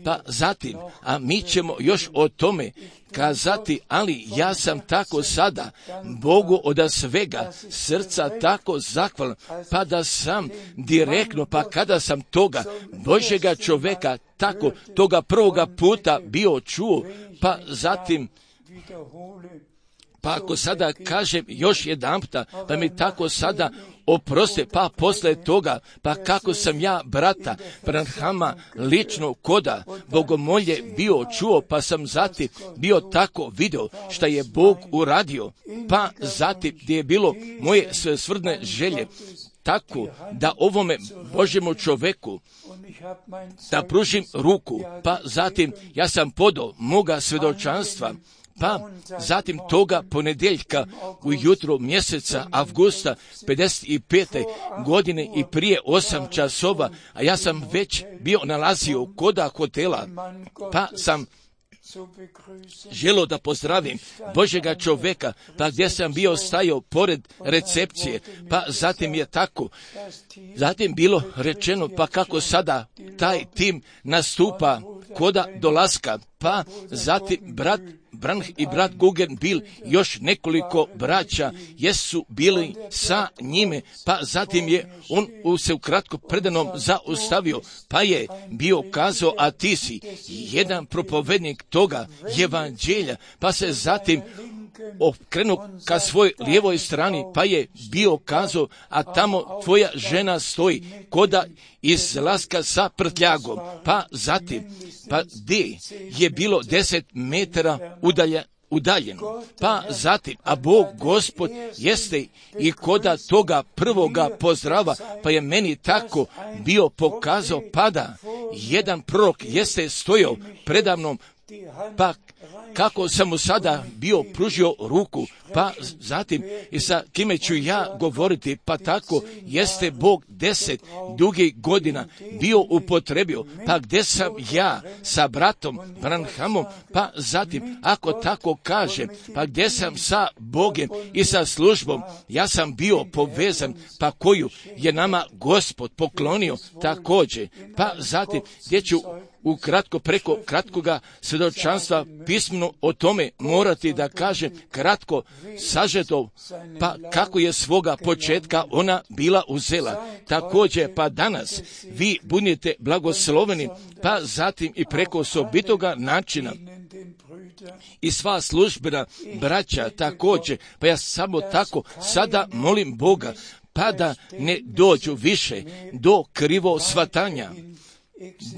pa zatim, a mi ćemo još o tome kazati, ali ja sam tako sada Bogu od svega srca tako zahvalan, pa da sam direktno, pa kada sam toga Božjega čoveka tako toga prvoga puta bio čuo, pa zatim, pa ako sada kažem još jedanputa, pa mi tako sada oproste, pa posle toga, pa kako sam ja brata Branhama lično koda bogomolje bio čuo, pa sam zatim bio tako video šta je Bog uradio, pa zatim gdje je bilo moje svrsne želje, tako da ovome Božjemu čoveku da pružim ruku, pa zatim ja sam podao moga svjedočanstva, pa zatim toga ponedjeljka ujutro mjeseca avgusta 55. godine i prije 8 časova, a ja sam već bio nalazio koda hotela, pa sam želo da pozdravim Božjega čoveka, pa gdje sam bio stajao pored recepcije, pa zatim je tako, zatim bilo rečeno, pa kako sada taj tim nastupa koda dolaska, pa zatim brat Branham i brat Guggenbill, još nekoliko braća jesu bili sa njime, pa zatim je on se ukratko predanom zaustavio, pa je bio kazao, a ti si jedan propovednik toga evanđelja, pa se zatim okrenuo ka svoj lijevoj strani, pa je bio kazao, a tamo tvoja žena stoji koda izlaska sa prtljagom, pa zatim, pa gdje je bilo 10 metara udaljeno, pa zatim, a Bog Gospod jeste i koda toga prvoga pozdrava, pa je meni tako bio pokazao, pa da jedan prorok jeste stojao predamnom, pa kako sam mu sada bio pružio ruku, pa zatim i sa kime ću ja govoriti, pa tako jeste Bog 10 dugih godina bio upotrebio, pa gdje sam ja sa bratom Branhamom, pa zatim, ako tako kažem, pa gdje sam sa Bogom i sa službom, ja sam bio povezan, pa koju je nama Gospod poklonio također, pa zatim gdje ću ukratko preko kratkoga svjedočanstva pismeno o tome morati da kažem kratko sažeto, pa kako je svoga početka ona bila uzela. Također pa danas vi budete blagosloveni, pa zatim i preko osobitoga načina i sva službena braća također, pa ja samo tako sada molim Boga, pa da ne dođu više do krivo shvatanja,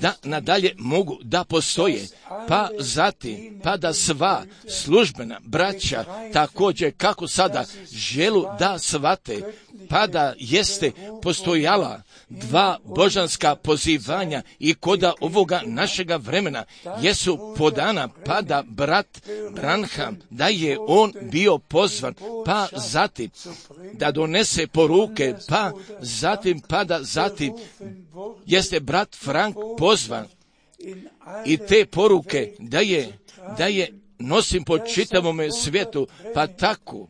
da nadalje mogu da postoje, pa zatim, pa da sva službena braća također kako sada želu da shvate, pa da jeste postojala dva božanska pozivanja i koda ovoga našega vremena jesu podana, pa da brat Branham, da je on bio pozvan, pa zatim da donese poruke, pa da zatim jeste brat Frank pozvan i te poruke da je nosim po čitavome svijetu, pa tako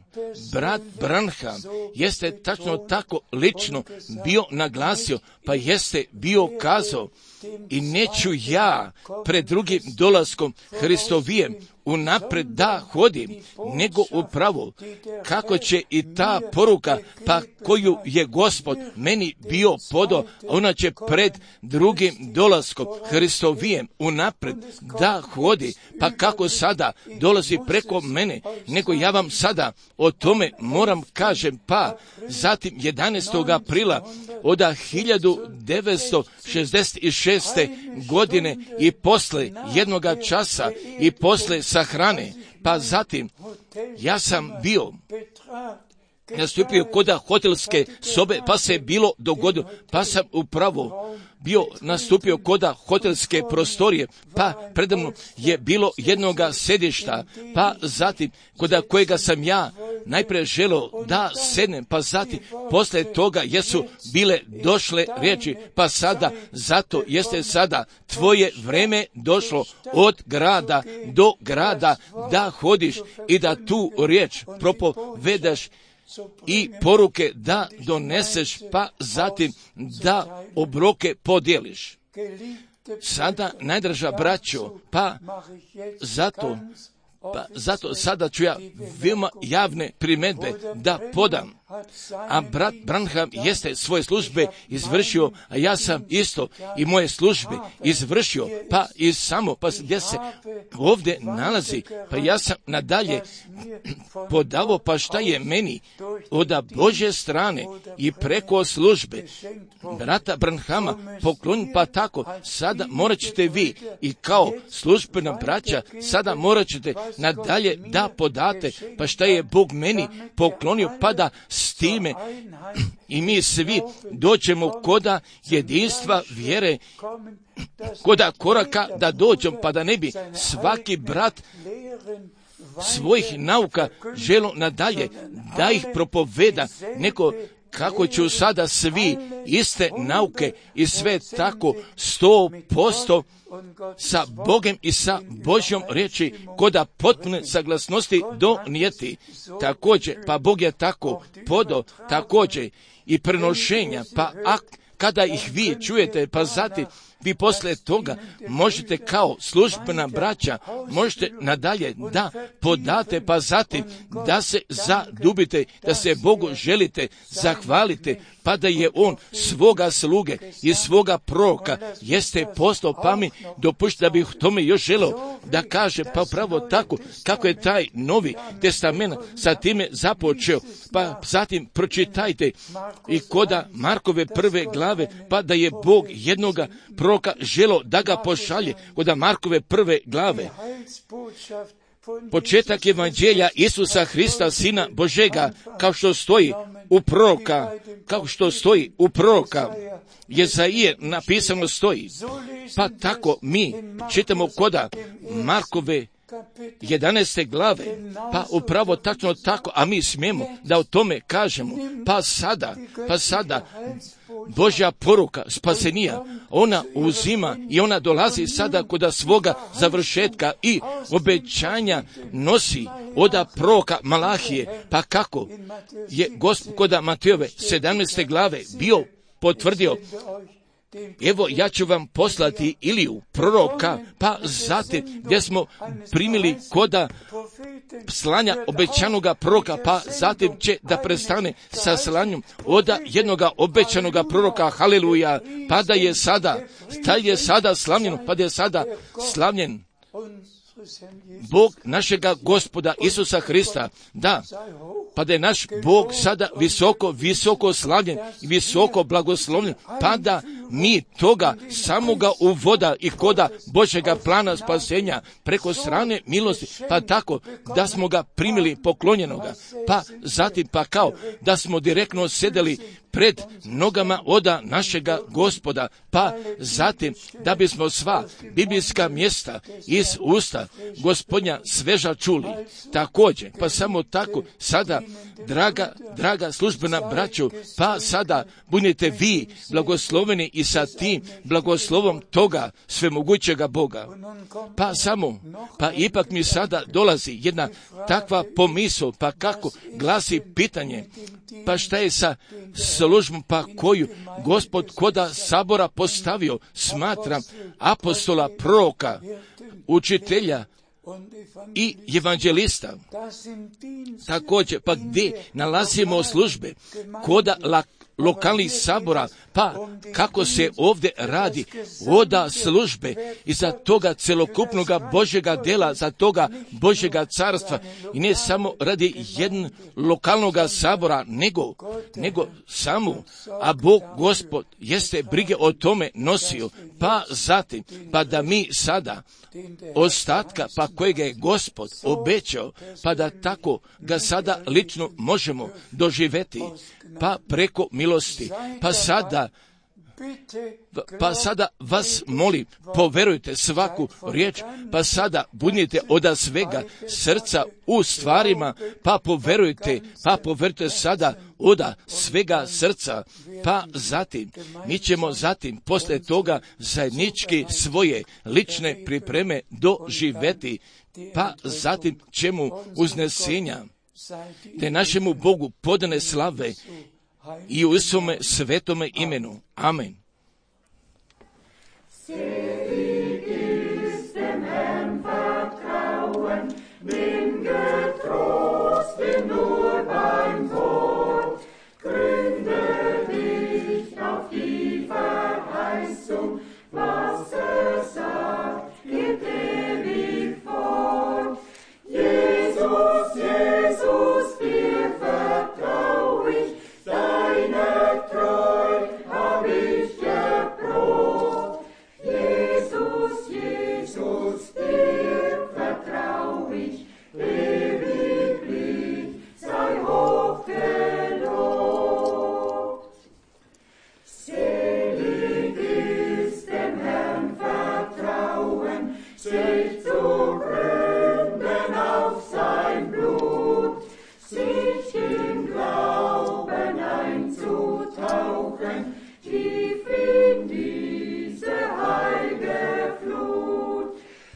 brat Branham jeste tačno tako lično bio naglasio, pa jeste bio kazao, i neću ja pred drugim dolaskom Hristovijem unapred da hodim, nego upravo kako će i ta poruka, pa koju je Gospod meni bio podao, ona će pred drugim dolaskom Hristovijem unapred da hodi, pa kako sada dolazi preko mene, nego ja vam sada o tome moram kažem, pa zatim 11. aprila od 1966. godine i posle jednoga časa i posle sahrane, pa zatim ja sam bio nastupio kod hotelske sobe, pa se bilo dogodilo, pa sam upravo bio nastupio kod hotelske prostorije, pa predamno je bilo jednoga sedišta, pa zatim kod kojega sam ja najprije želio da sednem, pa zatim posle toga jesu bile došle riječi, pa sada zato jeste sada tvoje vreme došlo od grada do grada da hodiš i da tu riječ propovedaš i poruke da doneseš, pa zatim da obroke podijeliš. Sada, najdraža braćo, pa zato sada ću ja veoma javne primjedbe da podam. A brat Branham jeste svoje službe izvršio, a ja sam isto i moje službe izvršio, pa i samo, pa gdje se ovdje nalazi, pa ja sam nadalje podavao, pa šta je meni od Božje strane i preko službe brata Branhama poklonjen, pa tako sada morat ćete vi i kao službena braća sada morat ćete nadalje da podate, pa šta je Bog meni poklonio, pa da s time i mi svi dođemo koda jedinstva vjere, koda koraka da dođemo, pa da ne bi svaki brat svojih nauka želo nadalje da ih propoveda, neko kako ću sada svi iste nauke i sve tako 100% sa Bogom i sa Božjom riječi koda potpune saglasnosti donijeti. Također, pa Bog je tako podao, također i prenošenja, pa kada ih vi čujete, pa zatim vi posle toga možete kao službena braća, možete nadalje da podate, pa zatim da se zadubite, da se Bogu želite zahvalite, pa da je on svoga sluge i svoga proroka jeste postao, pa mi dopušta da bih tome još želeo da kaže, pa pravo tako kako je taj Novi Testament sa time započeo, pa zatim pročitajte i koda Markove 1. glave, pa da je Bog jednoga proroka želo da ga pošalje koda Markove 1. glave. Početak evanđelja Isusa Hrista, Sina Božega, kao što stoji u proroka, Jezaije napisano stoji. Pa tako mi čitamo koda Markove 11. glave, pa upravo tačno tako, a mi smijemo da o tome kažemo, pa sada, Božja poruka spasenija, ona uzima i ona dolazi sada kod svoga završetka i obećanja nosi oda proroka Malahije, pa kako je Gospod kod Matejove 17. glave bio potvrdio, evo ja ću vam poslati Iliju, proroka, pa zatim gdje smo primili koda slanja obećanoga proroka, pa zatim će da prestane sa slanjem oda jednoga obećanoga proroka, haleluja, pa da je sada slavljen, pa da je sada slavljen Bog našega Gospoda Isusa Hrista, da, pa da je naš Bog sada visoko slavljen i visoko blagoslovljen, pa da mi toga samoga uvoda i koda Božjega plana spasenja preko strane milosti, pa tako da smo ga primili poklonjenoga, pa zatim pa kao da smo direktno sedeli pred nogama oda našega Gospoda, pa zatim da bismo sva biblijska mjesta iz usta Gospodnja sveža čuli. Također, pa samo tako sada, draga službena braćo, pa sada budete vi blagosloveni i sa tim blagoslovom toga svemogućega Boga. Pa ipak mi sada dolazi jedna takva pomisao, pa kako glasi pitanje, pa šta je sa službom, pa koju Gospod koda sabora postavio, smatram apostola, proroka, učitelja i evanđelista. Također, pa gdje nalazimo službe koda lokalnih sabora, pa kako se ovdje radi oda službe i za toga celokupnoga Božjega dela, za toga Božjega carstva, i ne samo radi jednog lokalnoga sabora, nego samo, a Bog Gospod jeste brige o tome nosio, pa zatim, pa da mi sada ostatka, pa kojega je Gospod obećao, pa da tako ga sada lično možemo doživjeti, pa preko milosti, pa sada vas molim, poverujte svaku riječ, pa sada budite oda svega srca u stvarima, pa poverujte sada oda svega srca, pa zatim, mi ćemo zatim posle toga zajednički svoje lične pripreme doživjeti, pa zatim ćemo uznesenja te našemu Bogu podane slave i u svome svetome imenu. Amen. Selig ist dem Herrn vertrauen, bin getrost, bin nur beim Wort. Gründe dich auf die Verheißung, was sagt, geht ewig fort. Jesus, Jesus, dir vertrau ich, deine Treu hab ich geprobt. Jesus, Jesus, dir vertrau ich, ewiglich sei hoch gelobt. Selig ist dem Herrn vertrauen, sich zu gründen auf sein Blut, sich im Glauben einzutauchen, tief in diese heilge Flut.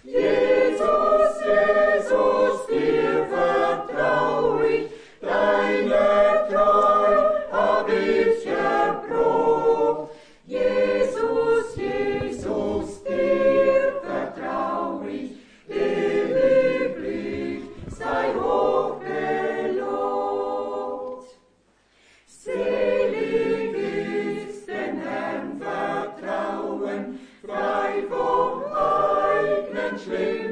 Jesus, Jesus, dir vertrau ich, deine Treu hab ich erprobt. Jesus, Jesus, dir vertrau ich, ewiglich sei hoch gelobt. Selig ist dem Herrn vertrauen, frei vom eigenen Schlimm